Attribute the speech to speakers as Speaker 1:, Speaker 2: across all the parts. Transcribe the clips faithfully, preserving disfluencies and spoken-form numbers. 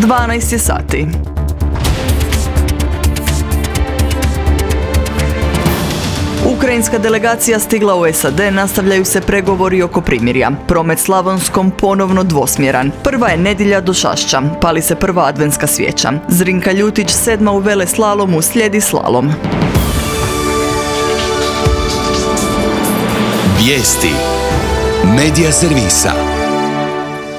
Speaker 1: dvanaest je sati. Ukrajinska delegacija stigla u S A D, nastavljaju se pregovori oko primirja. Promet Slavonskom ponovno dvosmjeran. Prva je nedjelja do Šašća, pali se prva adventska svijeća. Zrinka Ljutić sedma u veleslalomu, slijedi slalom.
Speaker 2: Vijesti Medija servisa.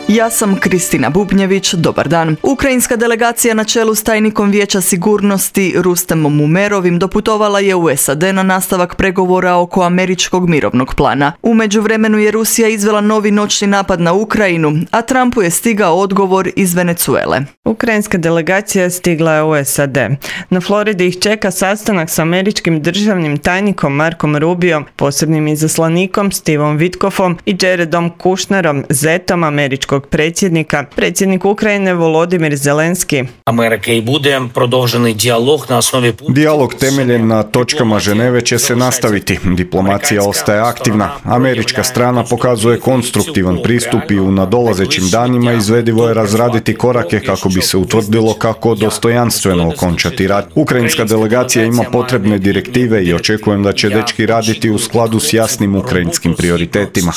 Speaker 1: Ja sam Kristina Bubnjević, dobar dan. Ukrajinska delegacija na čelu s tajnikom Vijeća sigurnosti Rustemom Umerovim doputovala je u S A D na nastavak pregovora oko američkog mirovnog plana. U međuvremenu je Rusija izvela novi noćni napad na Ukrajinu, a Trumpu je stigao odgovor iz Venezuele.
Speaker 3: Ukrajinska delegacija stigla je u S A D. Na Floridi ih čeka sastanak s američkim državnim tajnikom Markom Rubiom, posebnim izaslanikom Stevom Witkoffom i Jaredom Kushnerom, zetom američkog predsjednika. Predsjednik Ukrajine Volodimir Zelenski.
Speaker 4: Amerika i bude продовжений dijalog na osnovi...
Speaker 5: Dijalog temeljen na točkama Ženeve će se nastaviti. Diplomacija ostaje aktivna. Američka strana pokazuje konstruktivan pristup i u nadolazećim danima izvedivo je razraditi korake kako bi se utvrdilo kako dostojanstveno okončati rat. Ukrajinska delegacija ima potrebne direktive i očekujem da će dečki raditi u skladu s jasnim ukrajinskim prioritetima.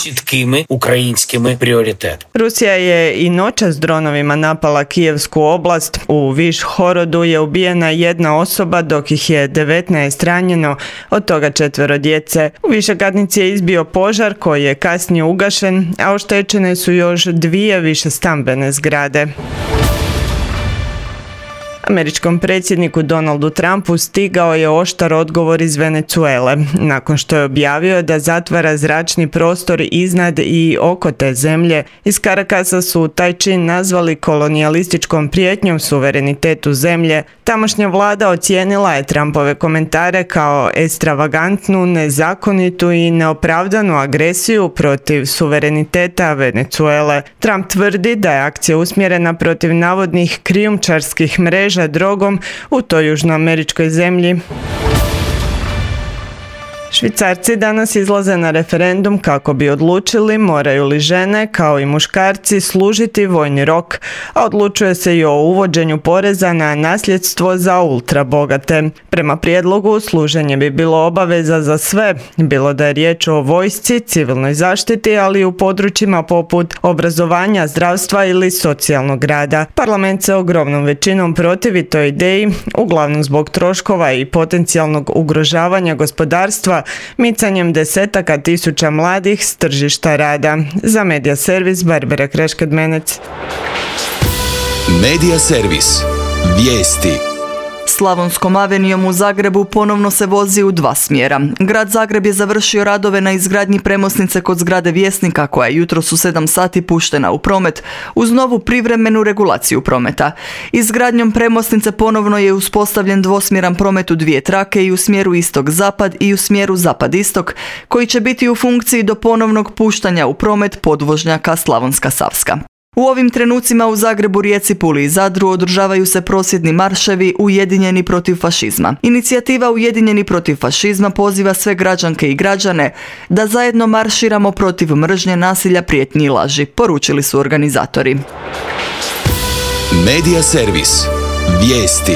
Speaker 3: Rusija je i noćas dronovima napala Kijevsku oblast. U Višhorodu je ubijena jedna osoba, dok ih je devetnaest ranjeno, od toga četvero djece. U višekatnici je izbio požar koji je kasnije ugašen, a oštećene su još dvije višestambene zgrade. Američkom predsjedniku Donaldu Trumpu stigao je oštar odgovor iz Venezuele, nakon što je objavio da zatvara zračni prostor iznad i oko te zemlje. Iz Carakasa su taj čin nazvali kolonijalističkom prijetnjom suverenitetu zemlje. Tamošnja vlada ocijenila je Trumpove komentare kao ekstravagantnu, nezakonitu i neopravdanu agresiju protiv suvereniteta Venezuele. Trump tvrdi da je akcija usmjerena protiv navodnih krijumčarskih mreža drogom u toj južnoameričkoj zemlji. Švicarci danas izlaze na referendum kako bi odlučili moraju li žene, kao i muškarci, služiti vojni rok, a odlučuje se i o uvođenju poreza na nasljedstvo za ultrabogate. Prema prijedlogu, služenje bi bilo obaveza za sve, bilo da je riječ o vojsci, civilnoj zaštiti, ali i u područjima poput obrazovanja, zdravstva ili socijalnog rada. Parlament se ogromnom većinom protivi toj ideji, uglavnom zbog troškova i potencijalnog ugrožavanja gospodarstva, micanjem desetaka tisuća mladih s tržišta rada. Za Medija servis Barbara Kreškad-Menec.
Speaker 2: Medija servis. Vijesti.
Speaker 1: Slavonskom avenijom u Zagrebu ponovno se vozi u dva smjera. Grad Zagreb je završio radove na izgradnji premosnice kod zgrade Vjesnika, koja je jutros u sedam sati puštena u promet uz novu privremenu regulaciju prometa. Izgradnjom premosnice ponovno je uspostavljen dvosmjeran promet u dvije trake i u smjeru istok-zapad i u smjeru zapad-istok, koji će biti u funkciji do ponovnog puštanja u promet podvožnjaka Slavonska-Savska. U ovim trenucima u Zagrebu, Rijeci, Puli i Zadru održavaju se prosvjedni marševi Ujedinjeni protiv fašizma. Inicijativa Ujedinjeni protiv fašizma poziva sve građanke i građane da zajedno marširamo protiv mržnje, nasilja, prijetnji i laži, poručili su organizatori.
Speaker 2: Medija servis. Vijesti.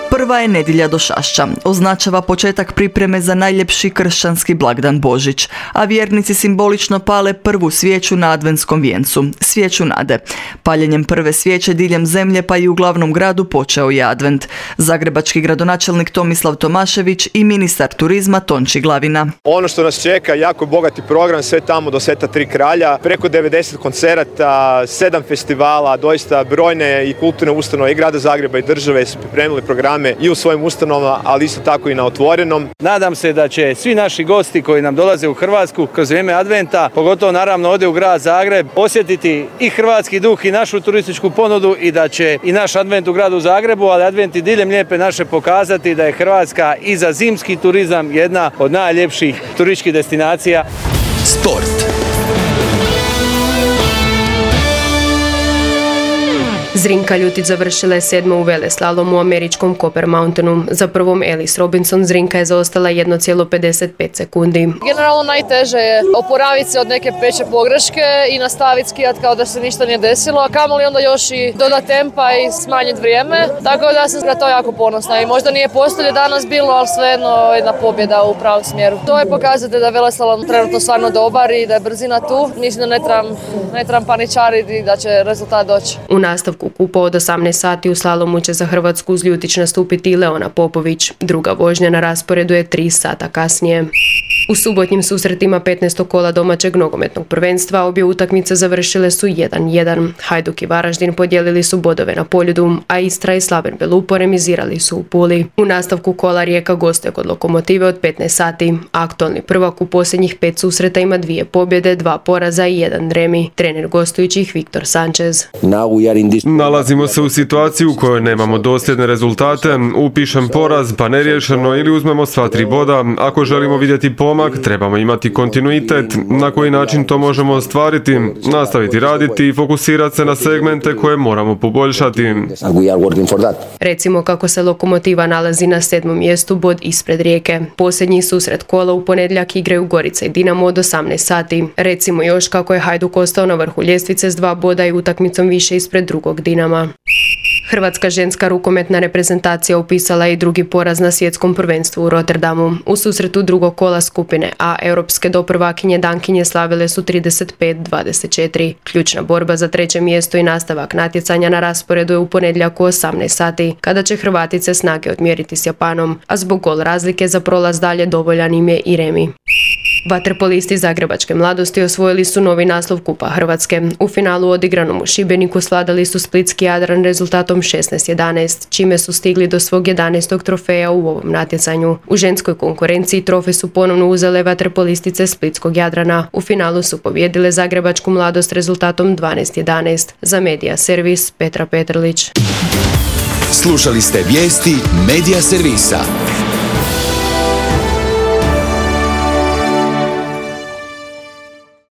Speaker 1: Prva je nedjelja do Šašća. Označava početak pripreme za najljepši kršćanski blagdan Božić, a vjernici simbolično pale prvu svijeću na adventskom vijencu, svijeću nade. Paljenjem prve svijeće diljem zemlje pa i u glavnom gradu počeo je advent. Zagrebački gradonačelnik Tomislav Tomašević i ministar turizma Tonči Glavina.
Speaker 6: Ono što nas čeka, jako bogati program, sve tamo do Sveta Tri kralja, preko devedeset koncerata, sedam festivala, doista brojne i kulturne ustanove i grada Zagreba i države su pripremili programe i u svojim ustanovama, ali isto tako i na otvorenom.
Speaker 7: Nadam se da će svi naši gosti koji nam dolaze u Hrvatsku kroz vrijeme adventa, pogotovo naravno ovdje u grad Zagreb, osjetiti i hrvatski duh i našu turističku ponudu i da će i naš advent u gradu Zagrebu, ali advent i diljem Lijepe naše pokazati da je Hrvatska i za zimski turizam jedna od najljepših turističkih destinacija.
Speaker 2: Sport.
Speaker 8: Zrinka Ljutić završila je sedma u veleslalomu u američkom Copper Mountainu. Za prvom Ellis Robinson Zrinka je zaostala jedan zarez pedeset pet sekundi.
Speaker 9: Generalno najteže je oporaviti se od neke peće pogreške i nastaviti skijat kao da se ništa nije desilo, a kamoli onda još i dodati tempa i smanjiti vrijeme. Tako da sam na to jako ponosna i možda nije postolje danas bilo, ali svejedno jedna pobjeda u pravom smjeru. To je pokazatelj da je veleslalom trenutno stvarno dobar i da je brzina tu. Mislim da ne trebam, ne trebam paničariti i da će rezultat doći.
Speaker 8: U nastavku kupa od osamnaest sati u slalomu će za Hrvatsku uz Ljutić nastupiti i Leona Popović. Druga vožnja na rasporedu je tri sata kasnije. U subotnjim susretima petnaestog kola domaćeg nogometnog prvenstva obje utakmice završile su jedan jedan. Hajduk i Varaždin podijelili su bodove na Poljudu, a Istra i Slaven Belupo remizirali su u Puli. U nastavku kola Rijeka gostuje kod Lokomotive od petnaest sati. Aktualni prvak u posljednjih pet susreta ima dvije pobjede, dva poraza i jedan remi. Trener gostujućih Viktor Sanchez.
Speaker 10: Nalazimo se u situaciji u kojoj nemamo dosljedne rezultate, upišem poraz pa neriješeno ili uzmemo sva tri boda. Ako želimo vidjeti pomak, trebamo imati kontinuitet. Na koji način to možemo ostvariti? Nastaviti raditi i fokusirati se na segmente koje moramo poboljšati.
Speaker 8: Recimo kako se Lokomotiva nalazi na sedmom mjestu, bod ispred Rijeke. Posljednji susret kola u ponedjeljak igraju Gorica i Dinamo od osamnaest sati. Recimo još kako je Hajduk ostao na vrhu ljestvice s dva boda i utakmicom više ispred drugog Dinama. Hrvatska ženska rukometna reprezentacija upisala je i drugi poraz na svjetskom prvenstvu u Rotterdamu. U susretu drugog kola skupine A europske doprvakinje Dankinje slavile su trideset pet dvadeset četiri. Ključna borba za treće mjesto i nastavak natjecanja na rasporedu je u ponedjeljak u osamnaest sati, kada će Hrvatice snage odmjeriti s Japanom, a zbog gol razlike za prolaz dalje dovoljan im je i remi. Vaterpolisti zagrebačke mladosti osvojili su novi naslov Kupa Hrvatske. U finalu odigranom u Šibeniku svladali su splitski Jadran rezultatom šesnaest jedanaest, čime su stigli do svog jedanaestog trofeja u ovom natjecanju. U ženskoj konkurenciji trofej su ponovno uzele vaterpolistice splitskog Jadrana. U finalu su pobijedile zagrebačku mladost rezultatom dvanaest jedanaest. Za Medija Servis Petra Petrlić.
Speaker 2: Slušali ste vijesti Medija Servisa.